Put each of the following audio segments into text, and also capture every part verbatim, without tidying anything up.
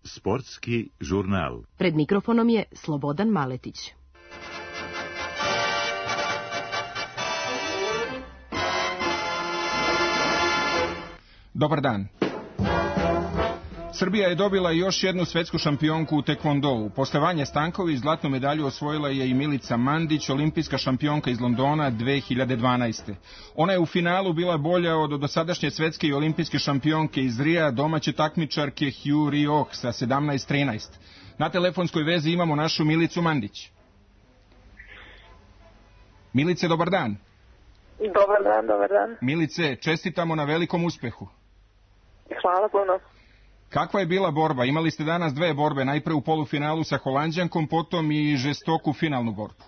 Sportski žurnal. Pred mikrofonom je Slobodan Maletić. Dobar dan. Srbija je dobila još jednu svetsku šampionku u tekvondou. Posle Vanje Stanković zlatnu medalju osvojila je i Milica Mandić, olimpijska šampionka iz Londona dve hiljade dvanaeste. Ona je u finalu bila bolja od dosadašnje svetske i olimpijske šampionke iz Rija, domaće takmičarke Hugh Rioch sa sedamnaest trinaest. Na telefonskoj vezi imamo našu Milicu Mandić. Milice, dobar dan. Dobar dan, dobar dan. Milice, čestitamo na velikom uspehu. Hvala puno. Kakva je bila borba? Imali ste danas dve borbe, najpre u polufinalu sa Holanđankom, potom i žestoku finalnu borbu.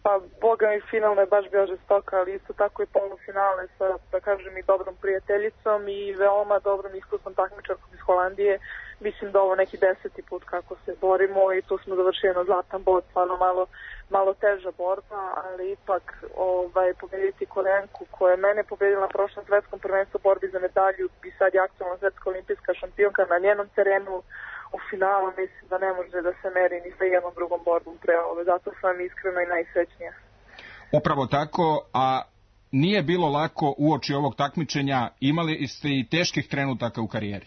Pa, boga mi, finalno je baš bio žestoka, ali isto tako i polufinale sa, da kažem, i dobrom prijateljicom i veoma dobrom iskusnom takmičarkom iz Holandije. Mislim da ovo neki deseti put kako se borimo i tu smo završili na zlatan bod, stvarno malo, malo teža borba, ali ipak ovaj, pobediti Koreanku koja je mene pobedila na prošlom svetskom prvenstvu borbi za medalju i sad je aktualna svetska olimpijska šampionka na njenom terenu u finalu, mislim da ne može da se meri ni sa jednom drugom borbom pre ove, zato sam iskreno i najsrećnija. Upravo tako, a nije bilo lako uoči ovog takmičenja, imali ste i teških trenutaka u karijeri?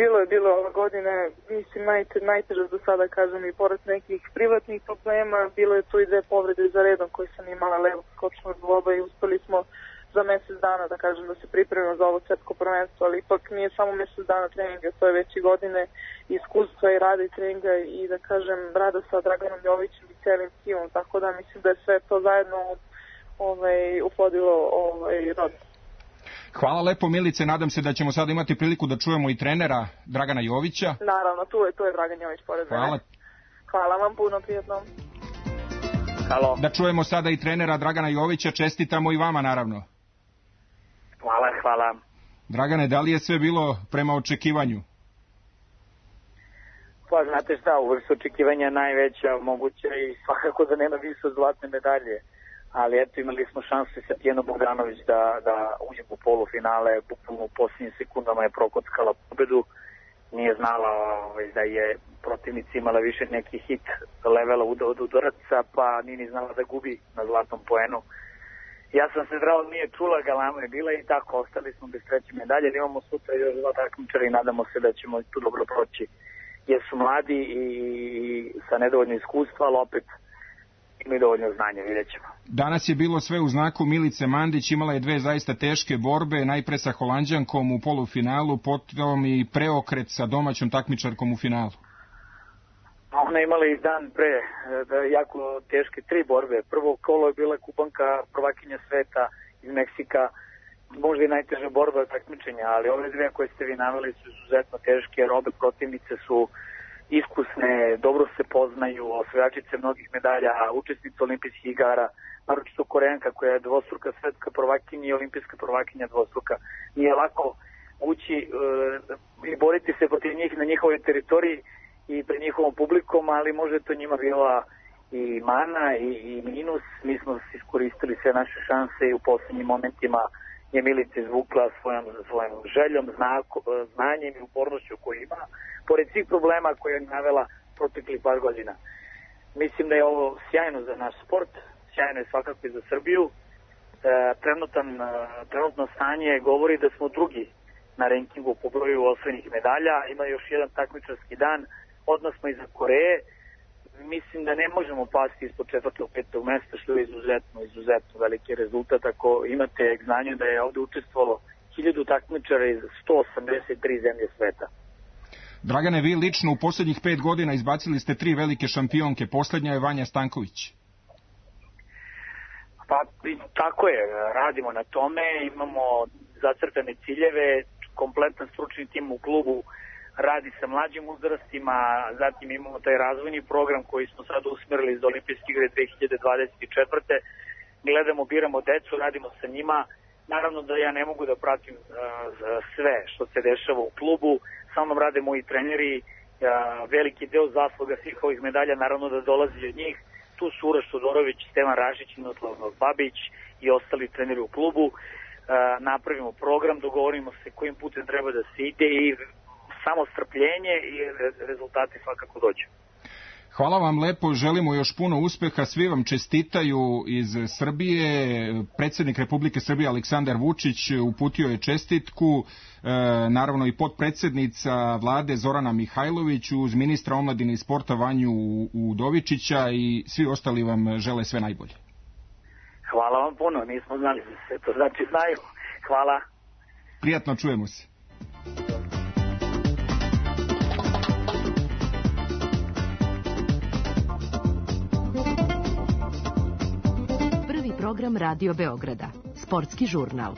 Bilo je, bilo ove godine, mislim, najte, najteže do sada, kažem, i pored nekih privatnih problema, bilo je tu i dve povrede za redom koje sam imala levog skočnog zgloba i uspeli smo za mesec dana, da kažem, da se pripremimo za ovo svetsko prvenstvo, ali ipak nije samo mesec dana treninga, to je već i godine iskustva i rada i treninga i, da kažem, rada sa Draganom Jovićem i celim timom, tako da mislim da je sve to zajedno ovaj, uplodilo ovaj, rod. Hvala lepo, Milice, nadam se da ćemo sada imati priliku da čujemo i trenera Dragana Jovića. Naravno, tu je, tu je Dragan Jović pored mene. Hvala. Hvala vam puno, prijatno. Halo. Da čujemo sada i trenera Dragana Jovića, čestitamo i vama naravno. Hvala, hvala. Dragane, da li je sve bilo prema očekivanju? Pa znate šta, uvek su očekivanja najveća moguća i svakako da nema više zlatne medalje. Ali eto, imali smo šansu sa Tijeno Bogdanović da, da uđemo u polufinale, bukvalno u posljednjim sekundama je prokockala pobedu. Nije znala ovaj, da je protivnica imala više neki hit levela od udaraca, pa nije ni znala da gubi na zlatnom poenu. Ja sam se zdravo, nije čula, galama je bila i tako, ostali smo bez treće medalje. Imamo sutra još dva takmičara i nadamo se da ćemo tu dobro proći. Jer su mladi i sa nedovoljno iskustva, ali opet imaju dovoljno znanja, vidjet ćemo. Danas je bilo sve u znaku Milice Mandić, imala je dve zaista teške borbe, najpre sa Holanđankom u polufinalu, potom i preokret sa domaćom takmičarkom u finalu. Ona imala i dan pre jako teške tri borbe. Prvo kolo je bila Kubanka, prvakinja sveta iz Meksika, možda i najteža borba takmičenja, ali ove dve koje ste vi naveli su izuzetno teške, jer obe protivnice su iskusne, dobro se poznaju, osvajačice mnogih medalja, učesnice olimpijskih igara, naročito Koreanka koja je dvostruka svetska prvakinja i olimpijska prvakinja dvostruka. Nije lako ući e, i boriti se protiv njih na njihovoj teritoriji i pred njihovom publikom, ali možda to njima bila i mana i, i minus. Mi smo iskoristili sve naše šanse i u posljednjim momentima je Milica izvukla svojom, svojom željom, znako, znanjem i upornošću koju ima, pored svih problema koje je navela proteklih par godina. Mislim da je ovo sjajno za naš sport, sjajno je svakako i za Srbiju. E, trenutan, trenutno stanje govori da smo drugi na rankingu po broju osvojenih medalja. Ima još jedan takmičarski dan, odmah smo iza Koreje. Mislim da ne možemo pasti ispod četvrtog, petog mesta, što je izuzetno, izuzetno veliki rezultat. Ako imate znanje da je ovde učestvovalo hiljadu takmičara iz sto osamdeset tri zemlje sveta. Dragane, vi lično u posljednjih pet godina izbacili ste tri velike šampionke, posljednja je Vanja Stanković. Pa tako je, radimo na tome, imamo zacrtane ciljeve, kompletan stručni tim u klubu radi sa mlađim uzrastima, zatim imamo taj razvojni program koji smo sad usmerili za olimpijske igre dve hiljade dvadeset četvrte. Gledamo, biramo decu, radimo sa njima. Naravno da ja ne mogu da pratim uh, sve što se dešava u klubu, sa mnom rade moji treneri, uh, veliki deo zasluga svih ovih medalja naravno da dolazi od njih. tu su Uroš Todorović, Stevan Rašić, Miroslav Babić i ostali treneri u klubu. Napravimo program, dogovorimo se kojim putem treba da se ide i samo strpljenje i rezultati svakako dođu. Hvala vam lepo, želimo još puno uspeha, svi vam čestitaju iz Srbije. Predsjednik Republike Srbije Aleksandar Vučić uputio je čestitku, e, naravno i potpredsjednica vlade Zorana Mihajlović uz ministra omladine i sporta Vanju Udovičića i svi ostali vam žele sve najbolje. Hvala vam puno, nismo znali da se to znači znaju. Hvala. Prijatno, čujemo se. Program Radio Beograda. Sportski žurnal.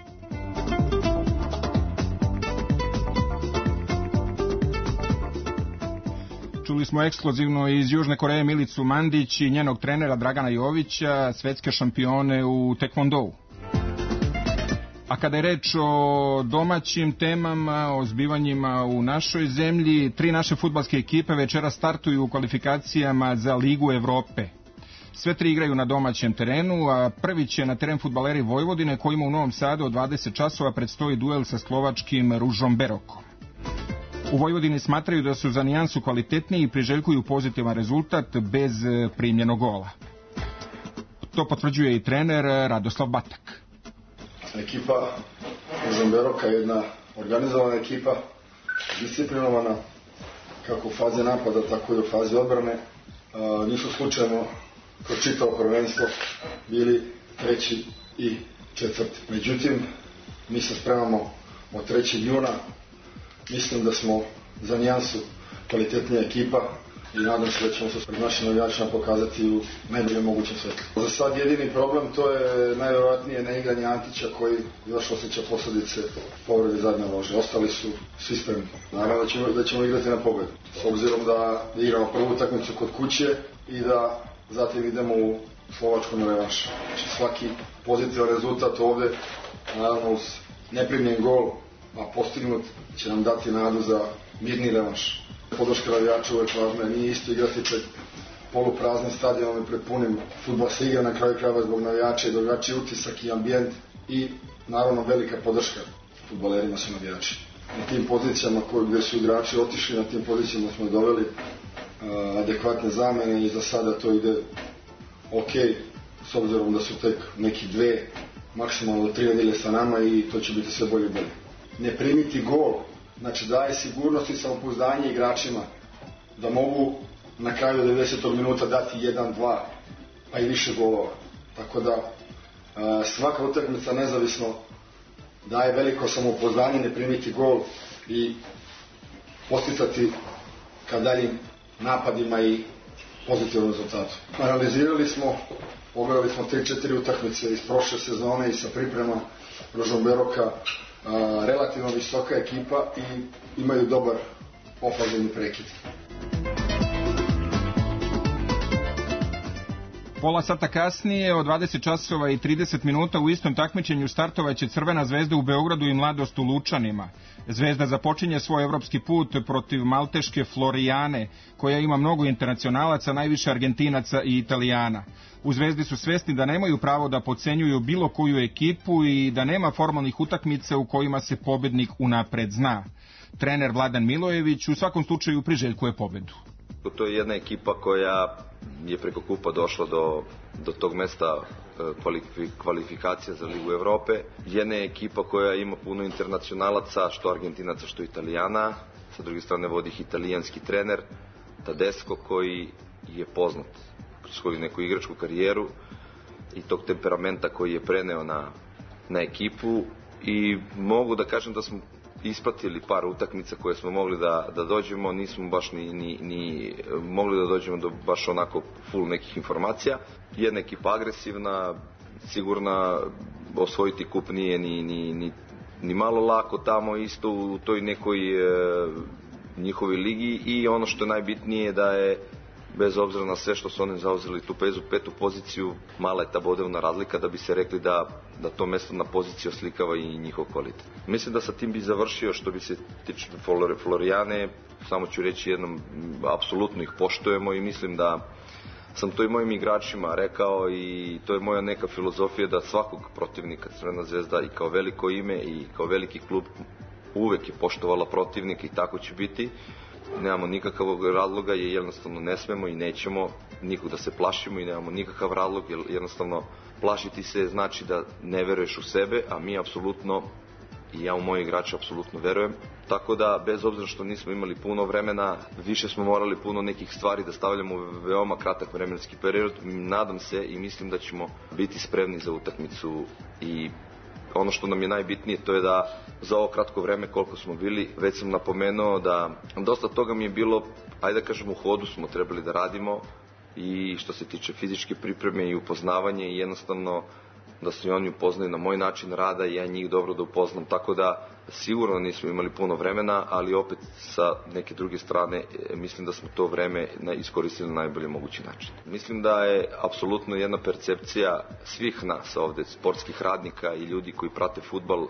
Čuli smo ekskluzivno iz Južne Koreje Milicu Mandić i njenog trenera Dragana Jovića, svetske šampione u tekvondou. A kada je reč o domaćim temama, o zbivanjima u našoj zemlji, tri naše fudbalske ekipe večera startuju u kvalifikacijama za Ligu Evrope. Sve tri igraju na domaćem terenu, a prvi će na teren fudbaleri Vojvodine, kojima u Novom Sadu od dvadeset časova predstoji duel sa slovačkim Ružom Berokom. U Vojvodini smatraju da su za nijansu kvalitetniji i priželjkuju pozitivan rezultat bez primljenog gola. To potvrđuje i trener Radoslav Batak. Ekipa Ružom Beroka je jedna organizovana ekipa, disciplinovana kako u fazi napada, tako i u fazi odbrane. A, nisu slučajno kroz čitavo prvenstvo bili treći i četvrti. Međutim, mi se spremamo od trećeg juna. Mislim da smo za nijansu kvalitetnija ekipa i nadam se da ćemo se pred našim navijačima pokazati u najboljem mogućem svetlu. Za sad jedini problem to je najvjerojatnije neigranje Antića koji još osjeća posljedice povrede zadnje lože. Ostali su svi spremni. Naravno da ćemo, da ćemo igrati na pobedu. S obzirom da igramo prvu utakmicu kod kuće i da zatim idemo u Slovačku na revanš. Znači svaki pozitivan rezultat ovde, naravno uz neprimljen gol, a postignut, će nam dati nadu za mirni revanš. Podrška navijača uvek važna, nije isto igrati pred polupraznim stadionom i pred punim. Fudbal se igra na kraju krajeva zbog navijača i drugačiji utisak i ambijent i naravno velika podrška fudbalerima su navijači. Na tim pozicijama koji, gde su igrači otišli, na tim pozicijama smo doveli uh, adekvatne zamene i za sada to ide ok, s obzirom da su tek neki dve, maksimalno tri nedelje sa nama i to će biti sve bolje i bolje. Ne primiti gol, znači daje sigurnost i samopouzdanje igračima da mogu na kraju devedesetog minuta dati jedan, dva, pa i više golova. Tako da uh, svaka utakmica nezavisno daje veliko samopouzdanje, ne primiti gol i posticati ka daljim napadima i pozitivnom rezultatu. Analizirali smo, pogledali smo tri četiri utakmice iz prošle sezone i sa priprema Ružom Beroka, a, relativno visoka ekipa i imaju dobar ofanzivni prekid. Pola sata kasnije, od dvadeset časova i trideset minuta, u istom takmičenju startovaće Crvena zvezda u Beogradu i Mladost u Lučanima. Zvezda započinje svoj evropski put protiv malteške Florijane, koja ima mnogo internacionalaca, najviše Argentinaca i Italijana. U Zvezdi su svesni da nemaju pravo da podcenjuju bilo koju ekipu i da nema formalnih utakmica u kojima se pobednik unapred zna. Trener Vladan Milojević u svakom slučaju priželjkuje pobedu. To je jedna ekipa koja je preko kupa došla do, do tog mesta kvalifikacija za Ligu Evrope. Jedna je ekipa koja ima puno internacionalaca, što Argentinaca, što Italijana. Sa druge strane vodi ih italijanski trener Tedesco, koji je poznat kroz svoju neku igračku karijeru i tog temperamenta koji je preneo na, na ekipu. I mogu da kažem da smo ispratili par utakmica koje smo mogli da, da dođemo, nismo baš ni, ni, ni mogli da dođemo do baš onako full nekih informacija. Jedna ekipa agresivna, sigurna, osvojiti kup nije ni, ni, ni, ni malo lako tamo isto u toj nekoj e, njihovoj ligi i ono što je najbitnije je da je bez obzira na sve što su oni zauzeli tu pezu, petu poziciju, mala je ta bodovna razlika da bi se rekli da, da to mesto na poziciji oslikava i njihov kvalitet. Mislim da sa tim bi završio što bi se tiče Florijane, samo ću reći jednom, apsolutno ih poštujemo i mislim da sam to i mojim igračima rekao i to je moja neka filozofija da svakog protivnika Crvena Zvezda i kao veliko ime i kao veliki klub uvek je poštovala protivnika i tako će biti. Nemamo nikakvog razloga jer jednostavno ne smemo i nećemo nikog da se plašimo i nemamo nikakav razlog jer jednostavno plašiti se znači da ne veruješ u sebe, a mi apsolutno i ja u moje igrače apsolutno verujem. Tako da, bez obzira što nismo imali puno vremena, više smo morali puno nekih stvari da stavljamo u veoma kratak vremenski period. Nadam se i mislim da ćemo biti spremni za utakmicu i ono što nam je najbitnije to je da za ovo kratko vreme koliko smo bili, već sam napomenuo da dosta toga mi je bilo, ajde da kažem, u hodu smo trebali da radimo i što se tiče fizičke pripreme i upoznavanje i jednostavno da se oni upoznaju na moj način rada i ja njih dobro da upoznam, tako da sigurno nismo imali puno vremena, ali opet sa neke druge strane mislim da smo to vreme iskoristili na najbolji mogući način. Mislim da je apsolutno jedna percepcija svih nas ovde, sportskih radnika i ljudi koji prate fudbal,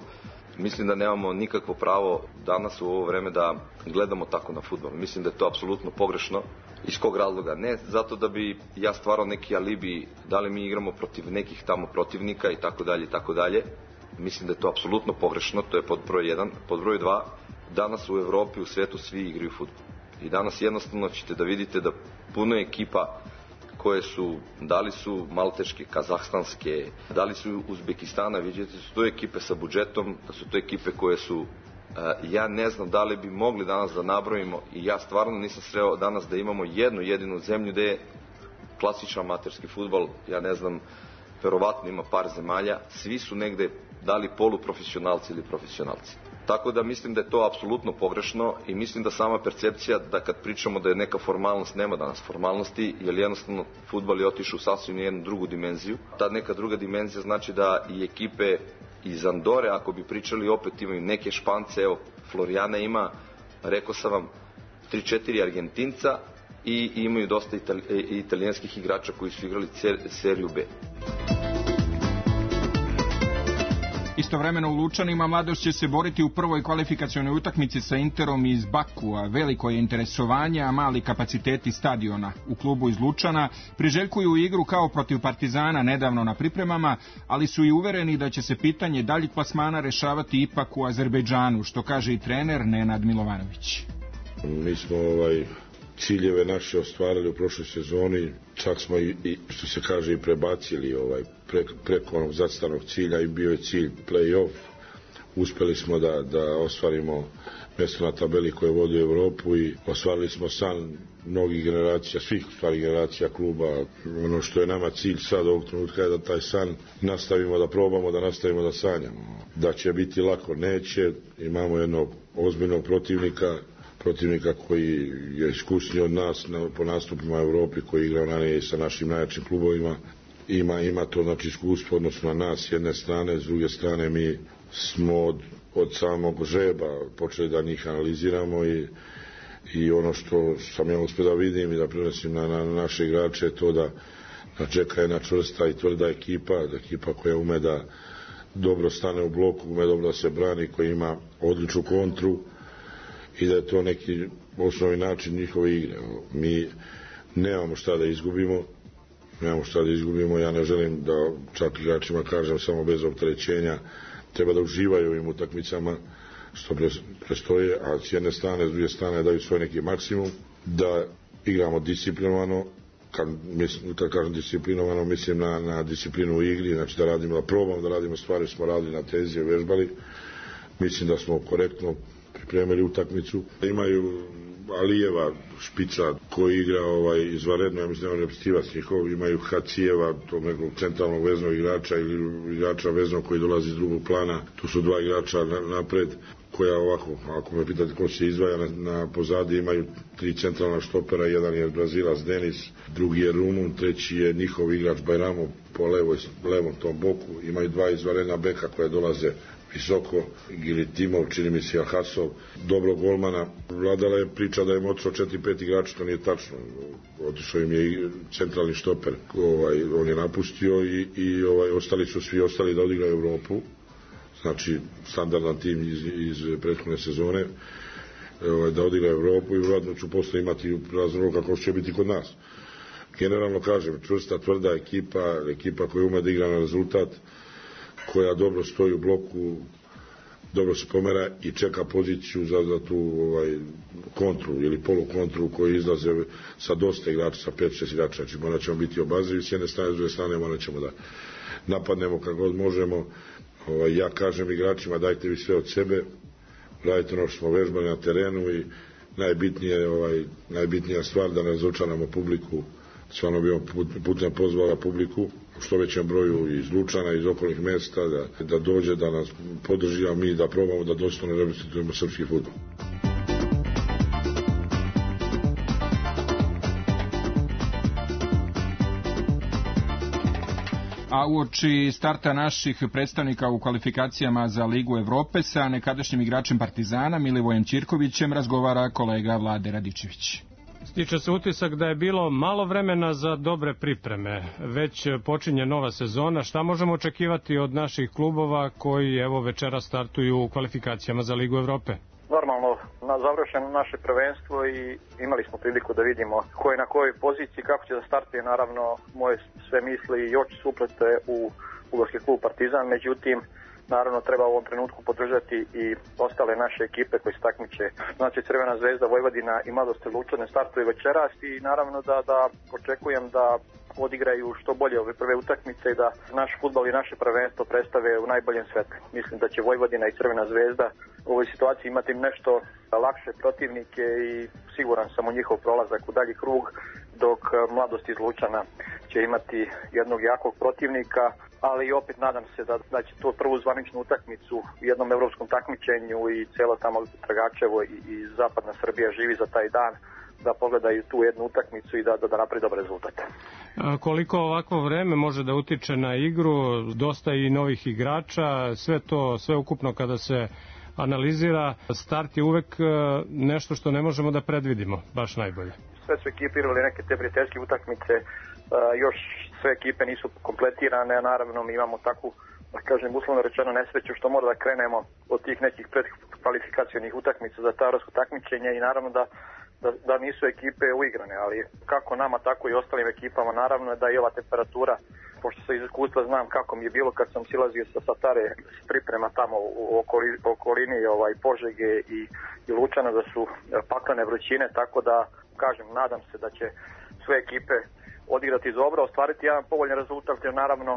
mislim da nemamo nikakvo pravo danas u ovo vreme da gledamo tako na fudbal. Mislim da je to apsolutno pogrešno. Iz kog razloga? Ne zato da bi ja stvarao neki alibi da li mi igramo protiv nekih tamo protivnika i tako dalje i tako dalje. Mislim da je to apsolutno pogrešno, to je pod broj jedan. Pod broj dva, danas u Evropi, u svetu svi igraju fudbal. I danas jednostavno ćete da vidite da puno ekipa koje su, da li su malteške, kazahstanske, da li su Uzbekistana, vidite su to ekipe sa budžetom, da su to ekipe koje su, ja ne znam da li bi mogli danas da nabrojimo i ja stvarno nisam sreo danas da imamo jednu jedinu zemlju gde je klasičan amaterski fudbal, ja ne znam, verovatno ima par zemalja, svi su negde da li poluprofesionalci ili profesionalci. Tako da mislim da je to apsolutno pogrešno i mislim da sama percepcija da kad pričamo da je neka formalnost, nema danas formalnosti, jer jednostavno fudbal je otišao u sasvim jednu drugu dimenziju. Ta neka druga dimenzija znači da i ekipe iz Andore, ako bi pričali, opet imaju neke Špance, evo Florijana ima, rekao sam vam, tri četiri Argentinca i imaju dosta itali, italijanskih igrača koji su igrali seriju B. Istovremeno u Lučanima mladost će se boriti u prvoj kvalifikacionoj utakmici sa Interom iz Bakua. Veliko je interesovanje, a mali kapaciteti stadiona. U klubu iz Lučana priželjkuju igru kao protiv Partizana nedavno na pripremama, ali su i uvereni da će se pitanje daljeg plasmana rešavati ipak u Azerbejdžanu, što kaže i trener Nenad Milovanović. Mi smo ovaj ciljeve naše ostvarili u prošloj sezoni, čak smo i, i što se kaže i prebacili ovaj pre, preko onog zacrtanog cilja i bio je cilj play-off. Uspeli smo da, da ostvarimo mjesto na tabeli koje vodi Evropu i ostvarili smo san mnogih generacija, svih stvari generacija kluba. Ono što je nama cilj sad ovog trenutka je da taj san nastavimo, da probamo, da nastavimo da sanjamo. Da će biti lako, neće. Imamo jednog ozbiljnog protivnika, protivnika koji je iskusniji od nas na, po nastupima u Evropi, koji igrao ranije sa našim najjačim klubovima. Ima, ima to znači iskustvo odnosno na nas s jedne strane, s druge strane mi smo od, od samog žreba počeli da njih analiziramo i, i ono što sam ja uspio da vidim i da prenosim na, na naše igrače je to da, da čeka jedna čvrsta i tvrda ekipa, da ekipa koja ume da dobro stane u bloku, ume dobro da se brani, koja ima odličnu kontru i da je to neki osnovni način njihove igre. Mi nemamo šta da izgubimo, nemamo šta da izgubimo, ja ne želim da čak igračima kažem samo bez opterećenja, treba da uživaju ovim utakmicama što prestoje, a s jedne strane, s druge strane daju svoj neki maksimum, da igramo disciplinovano, kad, mislim, kad kažem disciplinovano mislim na, na disciplinu u igri, znači da radimo, da probamo da radimo stvari, smo radili na tezi, vežbali, mislim da smo korektno pripremili utakmicu. Imaju Alijeva, špica, koji igra ovaj, izvanredno, ja mislim da je repstivac njihov, imaju Hacijeva, tog nekog centralnog veznog igrača ili igrača veznog koji dolazi iz drugog plana, tu su dva igrača napred, koja ovako, ako me pitate ko se izdvaja, na, na pozadi imaju tri centralna štopera, jedan je Brazilac Denis, drugi je Rumun, treći je njihov igrač Bajramo po levoj, levom tom boku, imaju dva izvanredna beka koje dolaze visoko, Gilitimov, čini mi se Alhasov, dobro golmana. Vladala je priča da je otišao četiri pet igrača, to nije tačno. Otišao im je centralni štoper, ovaj, on je napustio i, i ovaj, ostali su svi ostali da odigraju Evropu. Znači, standardan tim iz, iz prethodne sezone, ovaj, da odigraju Evropu i vjerojatno ću posle imati razlog kako će biti kod nas. generalno kažem, čvrsta, tvrda ekipa, ekipa koja ume da igra na rezultat, koja dobro stoji u bloku, dobro se pomera i čeka poziciju za, za tu ovaj, kontru ili polukontru koji izlaze sa dosta igrača, sa pet šest igrača. Znači morat ćemo biti obazrivi s jedne strane, s druge strane morat ćemo da napadnemo kako god možemo. Ovaj, ja kažem igračima dajte vi sve od sebe, radite ono što smo vežbali na terenu i najbitnije, ovaj, najbitnija stvar da ne razočaramo publiku. Stvarno bi on putem pozvala publiku u što većem broju iz Lučana, iz okolnih mesta, da, da dođe, da nas podrži, a mi da probamo da dostojno reprezentujemo srpski fudbal. A uoči starta naših predstavnika u kvalifikacijama za Ligu Evrope sa nekadašnjim igračem Partizana Milivojem Ćirkovićem razgovara kolega Vlade Radičević. Stiče se utisak da je bilo malo vremena za dobre pripreme. Već počinje nova sezona. Šta možemo očekivati od naših klubova koji evo večera startuju u kvalifikacijama za Ligu Evrope? Normalno, na završeno naše prvenstvo i imali smo priliku da vidimo ko je na kojoj poziciji, kako će da startuje. Naravno, moje sve misli i oči su uprte u fudbalski klub Partizan, međutim, naravno treba u ovom trenutku podržati i ostale naše ekipe koji se takmiče. Znači Crvena zvezda, Vojvodina i Mladost Lučane startuju večeras i naravno da, da očekujem da odigraju što bolje ove prve utakmice i da naš fudbal i naše prvenstvo predstave u najboljem svetlu. Mislim da će Vojvodina i Crvena zvezda u ovoj situaciji imati nešto lakše protivnike i siguran sam u njihov prolazak u dalji krug, dok Mladost iz Lučana će imati jednog jakog protivnika, ali opet nadam se da, da će to prvu zvaničnu utakmicu u jednom evropskom takmičenju i celo tamo Tragačevo i, i zapadna Srbija živi za taj dan, da pogledaju tu jednu utakmicu i da, da, da napravi dobar rezultat. A koliko ovakvo vreme može da utiče na igru, dosta i novih igrača, sve to, sve ukupno kada se analizira, start je uvek nešto što ne možemo da predvidimo, baš najbolje. Sve su ekipirali neke te prijateljske utakmice, još sve ekipe nisu kompletirane, naravno mi imamo takvu, da kažem, uslovno rečeno nesreću što mora da krenemo od tih nekih predkvalifikacionih utakmica za ta evropsko takmičenje i naravno da Da, da nisu ekipe uigrane, ali kako nama, tako i ostalim ekipama, naravno da i ova temperatura, pošto sa iz iskustva znam kako mi je bilo kad sam silazio sa Satare priprema tamo u okoli, okolini ovaj, Požege i, i Lučana, da su paklene vrućine, tako da kažem, nadam se da će sve ekipe odigrati dobro, ostvariti jedan povoljan rezultat, jer naravno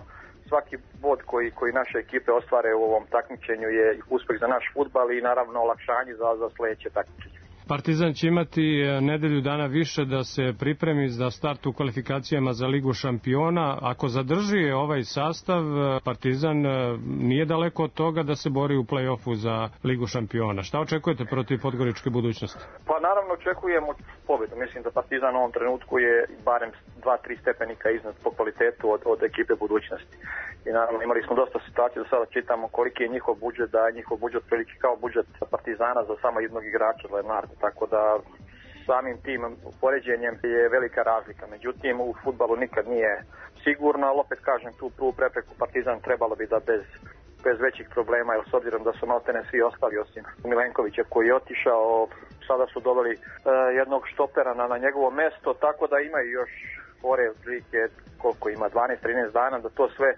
svaki bod koji, koji naše ekipe ostvare u ovom takmičenju je uspeh za naš fudbal i naravno olakšanje za, za sledeće takmičenje. Partizan će imati nedelju dana više da se pripremi za start u kvalifikacijama za Ligu šampiona. Ako zadrži ovaj sastav, Partizan nije daleko od toga da se bori u play-offu za Ligu šampiona. Šta očekujete protiv podgoričke budućnosti? Pa naravno očekujemo pobedu. Mislim da Partizan u ovom trenutku je barem dva tri stepenika iznad po kvalitetu od, od ekipe budućnosti. I naravno imali smo dosta situacija da sada čitamo koliki je njihov budžet, da je njihov budžet prilike kao budžet Partizana za samo jednog igrača, Lenarda. Tako da samim tim poređenjem je velika razlika. Međutim, u fudbalu nikad nije sigurno, ali opet kažem, tu prvu prepreku Partizan trebalo bi da bez, bez većih problema, jer s obzirom da su maltene svi ostali osim Milenkovića koji je otišao, sada su doveli uh, jednog štopera na, na njegovo mesto, tako da imaju još fore prilike koliko ima, dvanaest trinaest dana, da to sve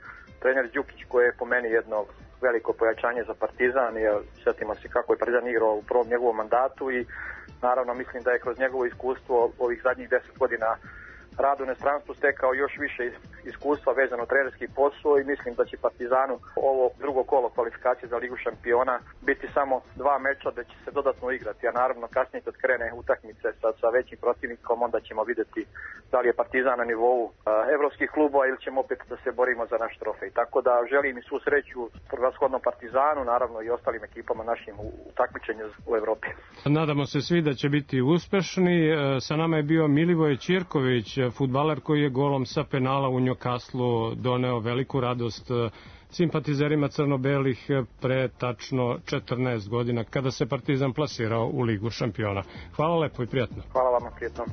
trener Đukić koji je po meni jedno veliko pojačanje za Partizan, jer sjetimo se kako je Partizan igrao u prvom njegovom mandatu i naravno mislim da je kroz njegovo iskustvo ovih zadnjih deset godina radu u inostranstvu stekao još više iskustva vezano trenerski posao i mislim da će Partizanu ovo drugo kolo kvalifikacije za Ligu šampiona biti samo dva meča da će se dodatno igrati, a naravno kasnije kad krene utakmice sa, sa većim protivnikom onda ćemo vidjeti da li je Partizan na nivou uh, evropskih klubova ili ćemo opet da se borimo za naš trofej. Tako da želim i svu sreću prevashodno Partizanu, naravno i ostalim ekipama našim u, u takmičenju u Evropi. Nadamo se svi da će biti uspešni. Sa nama je bio Milivoje Ćirković, fudbaler koji je golom sa penala u Newcastlu doneo veliku radost simpatizerima crno-belih pre tačno četrnaest godina kada se Partizan plasirao u Ligu šampiona. Hvala lepo i prijatno. Hvala vama, prijatno.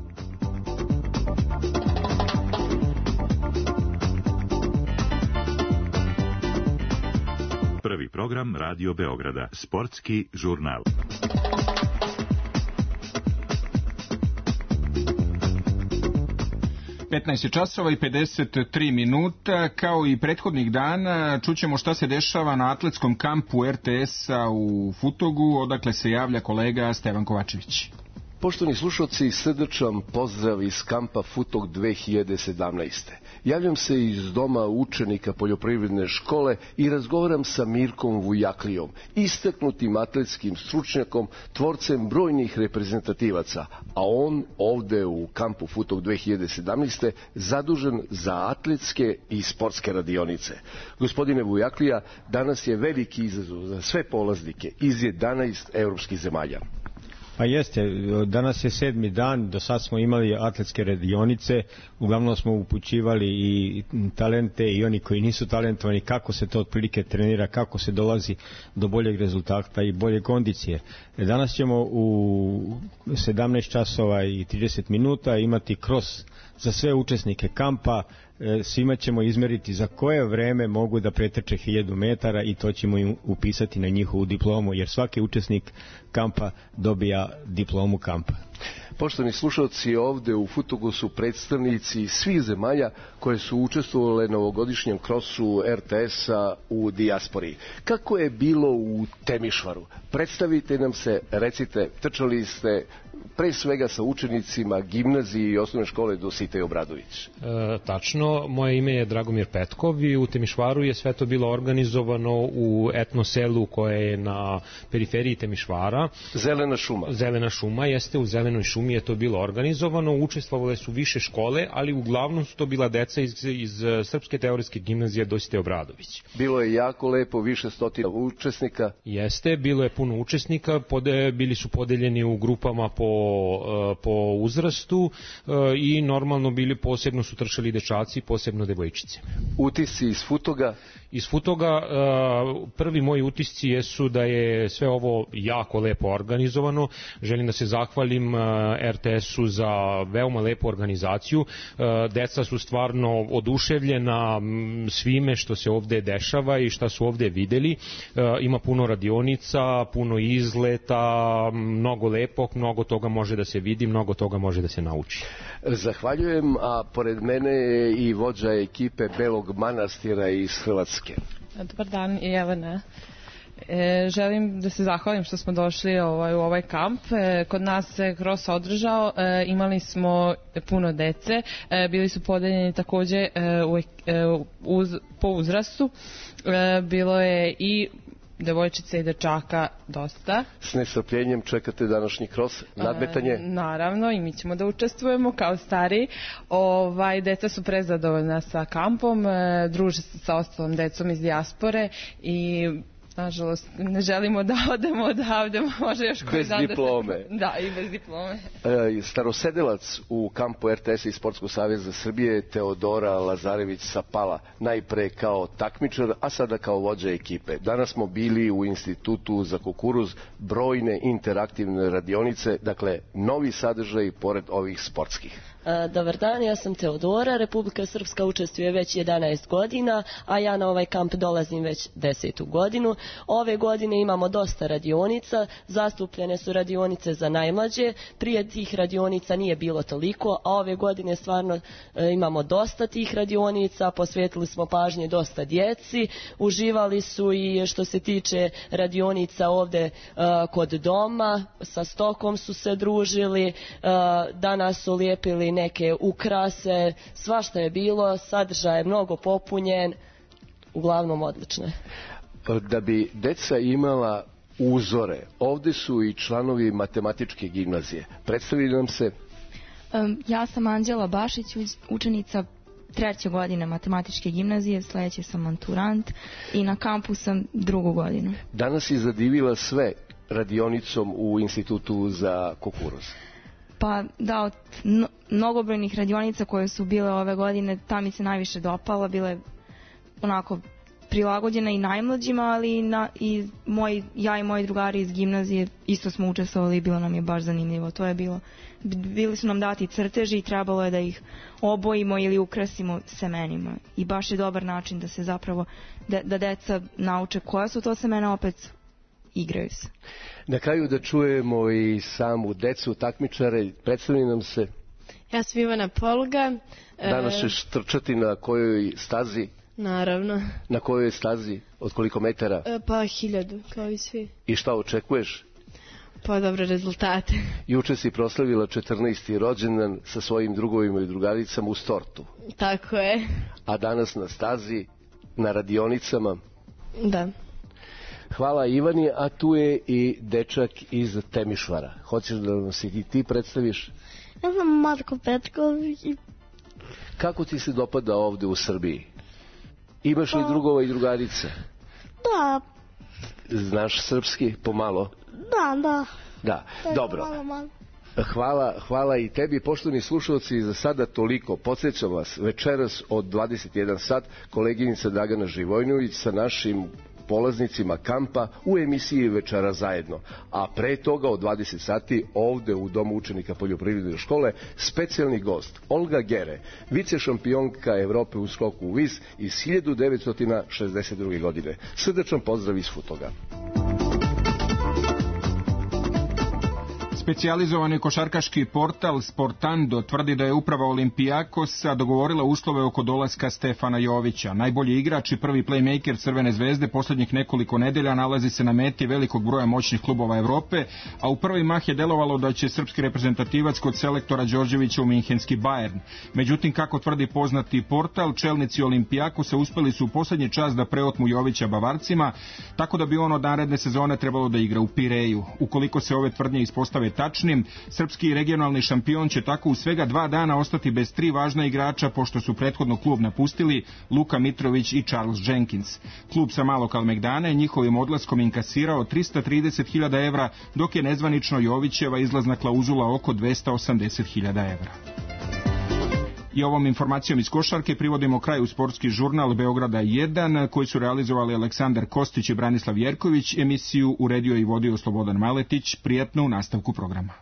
Prvi program Radio Beograda, sportski žurnal. petnaest je časova i pedeset tri minuta. Kao i prethodnih dana čućemo šta se dešava na atletskom kampu er te es-a u Futogu, odakle se javlja kolega Stevan Kovačević. Poštovani slušalci, srdačan pozdrav iz kampa Futog dve hiljade sedamnaeste. Javljam se iz doma učenika poljoprivredne škole i razgovaram sa Mirkom Vujaklijom, istaknutim atletskim stručnjakom, tvorcem brojnih reprezentativaca, a on ovde u kampu Futog dve hiljade sedamnaeste zadužen za atletske i sportske radionice. Gospodine Vujaklija, danas je veliki izazov za sve polaznike iz jedanaest evropskih zemalja. Pa jeste, danas je sedmi dan, do sad smo imali atletske radionice, uglavnom smo upućivali i talente i oni koji nisu talentovani, kako se to otprilike trenira, kako se dolazi do boljeg rezultata i bolje kondicije. Danas ćemo u sedamnaest časova i trideset minuta imati cross za sve učesnike kampa. Svima ćemo izmeriti za koje vreme mogu da pretrče hiljadu metara i to ćemo im upisati na njihovu diplomu, jer svaki učesnik kampa dobija diplomu kampa. Poštovani slušalci, ovde u Futogu su predstavnici svih zemalja koje su učestvovale na ovogodišnjem krosu er te es-a u dijaspori. Kako je bilo u Temišvaru? Predstavite nam se, recite, trčali ste pre svega sa učenicima gimnazije i osnovne škole Dositej Obradović. E, tačno, moje ime je Dragomir Petkov i u Temišvaru je sve to bilo organizovano u etno selu koje je na periferiji Temišvara. Zelena šuma. Zelena šuma, jeste, u Zelenoj šumi je to bilo organizovano, učestvovale su više škole, ali uglavnom su to bila deca iz, iz Srpske teoretske gimnazije Dositej Obradović. Bilo je jako lepo, više stotina učesnika. Jeste, bilo je puno učesnika, pode, bili su podeljeni u grupama po po uzrastu i normalno bili, posebno su trčali dečaci, posebno devojčice. Utisci iz Futoga? Iz Futoga prvi moji utisci jesu da je sve ovo jako lepo organizovano. Želim da se zahvalim er te es-u za veoma lepu organizaciju. Deca su stvarno oduševljena svime što se ovde dešava i šta su ovde videli. Ima puno radionica, puno izleta, mnogo lepog, mnogo toga može da se vidi, mnogo toga može da se nauči. Zahvaljujem, a pored mene je i vođa ekipe Belog Manastira iz Hrvatske. Dobar dan, Jelena. E, želim da se zahvalim što smo došli ovaj, u ovaj kamp. E, kod nas se cross održao, e, imali smo puno dece, e, bili su podeljeni takođe e, u, e, uz, po uzrastu. E, bilo je i devojčica i dečaka dosta. S nestrpljenjem čekate današnji cross, nadmetanje? E, naravno, i mi ćemo da učestvujemo kao stari. Ovaj, deca su prezadovoljna sa kampom, e, druže se sa ostalom decom iz dijaspore i nažalost ne želimo da odemo odavde, može još koji bez dan diplome. Da, se... da, i bez diplome. E, starosedelac u kampu er te es-a i Sportskog saveza Srbije Teodora Lazarević Sapala, najpre kao takmičar, a sada kao vođa ekipe. Danas smo bili u Institutu za kukuruz, brojne interaktivne radionice, dakle novi sadržaj pored ovih sportskih. Dobar dan, ja sam Teodora, Republika Srpska učestvuje već jedanaest godina, a ja na ovaj kamp dolazim već desetu godinu. Ove godine imamo dosta radionica, zastupljene su radionice za najmlađe, prije tih radionica nije bilo toliko, a ove godine stvarno e, imamo dosta tih radionica, posvetili smo pažnje dosta djeci, uživali su i što se tiče radionica ovde e, kod doma, sa stokom su se družili, e, danas su lijepili neke ukrase, svašta je bilo, sadržaj je mnogo popunjen, uglavnom odlično. Da bi deca imala uzore, ovde su i članovi matematičke gimnazije. Predstavi nam se. Um, ja sam Anđela Bašić, učenica treće godine matematičke gimnazije, sledeće sam maturant i na kampu sam drugu godinu. Danas je zadivila sve radionicom u Institutu za kukuruz. Pa da, od mnogobrojnih radionica koje su bile ove godine, ta mi se najviše dopala, bile onako prilagođena i najmlađima, ali i, na, i moj, ja i moji drugari iz gimnazije isto smo učestvovali i bilo nam je baš zanimljivo. To je bilo, bili su nam dati crteži i trebalo je da ih obojimo ili ukrasimo semenima. I baš je dobar način da se zapravo, da, da deca nauče koja su to semena, opet igraju se. Na kraju da čujemo i samu decu takmičare, predstavljaju nam se. Ja sam Ivana Poluga. Danas ćeš trčati na kojoj stazi? Naravno. Na kojoj stazi? Od koliko metara? E, pa hiljadu, kao i svi. I šta očekuješ? Pa dobre rezultate. Juče si proslavila četrnaesti rođendan sa svojim drugovima i drugaricama u Stortu. Tako je. A danas na stazi, na radionicama? Da. Hvala Ivani, a tu je i dečak iz Temišvara. Hoćeš da nam se i ti predstaviš? Ja sam Marko Petković. Kako ti se dopada ovde u Srbiji? Imaš li drugova i drugarice? Da. Znaš srpski pomalo? Da, da. Da, da dobro. Malo, malo. Hvala, hvala i tebi, poštovani slušalci, za sada toliko. Podsjećam vas, večeras od dvadeset jedan sat koleginica Dragana Živojnović sa našim polaznicima kampa u emisiji Večera zajedno. A pre toga od dvadeset sati ovde u Domu učenika poljoprivredne škole specijalni gost Olga Gere, vice šampionka Evrope u skoku u vis iz hiljadu devetsto šezdeset druge. godine. Srdačan pozdrav iz Futoga. Specijalizovani košarkaški portal Sportando tvrdi da je uprava Olimpijakosa dogovorila uslove oko dolaska Stefana Jovića. Najbolji igrač i prvi playmaker Crvene zvezde posljednjih nekoliko nedelja nalazi se na meti velikog broja moćnih klubova Evrope, a u prvi mah je delovalo da će srpski reprezentativac kod selektora Đorđevića u minhenski Bayern. Međutim, kako tvrdi poznati portal, čelnici Olimpijakosa uspeli su u posljednji čas da preotmu Jovića Bavarcima, tako da bi on od naredne sezone trebalo da igra u Pireju. Ukoliko se ove tvrdnje ispostave tačnim, srpski regionalni šampion će tako u svega dva dana ostati bez tri važna igrača, pošto su prethodno klub napustili Luka Mitrović i Charles Jenkins. Klub sa Malog Kalemegdana je njihovim odlaskom inkasirao trista trideset hiljada evra, dok je nezvanično Jovićeva izlazna klauzula oko dvesta osamdeset hiljada evra. I ovom informacijom iz košarke privodimo kraju sportski žurnal Beograda jedan, koji su realizovali Aleksandar Kostić i Branislav Jerković. Emisiju uredio i vodio Slobodan Maletić. Prijatno u nastavku programa.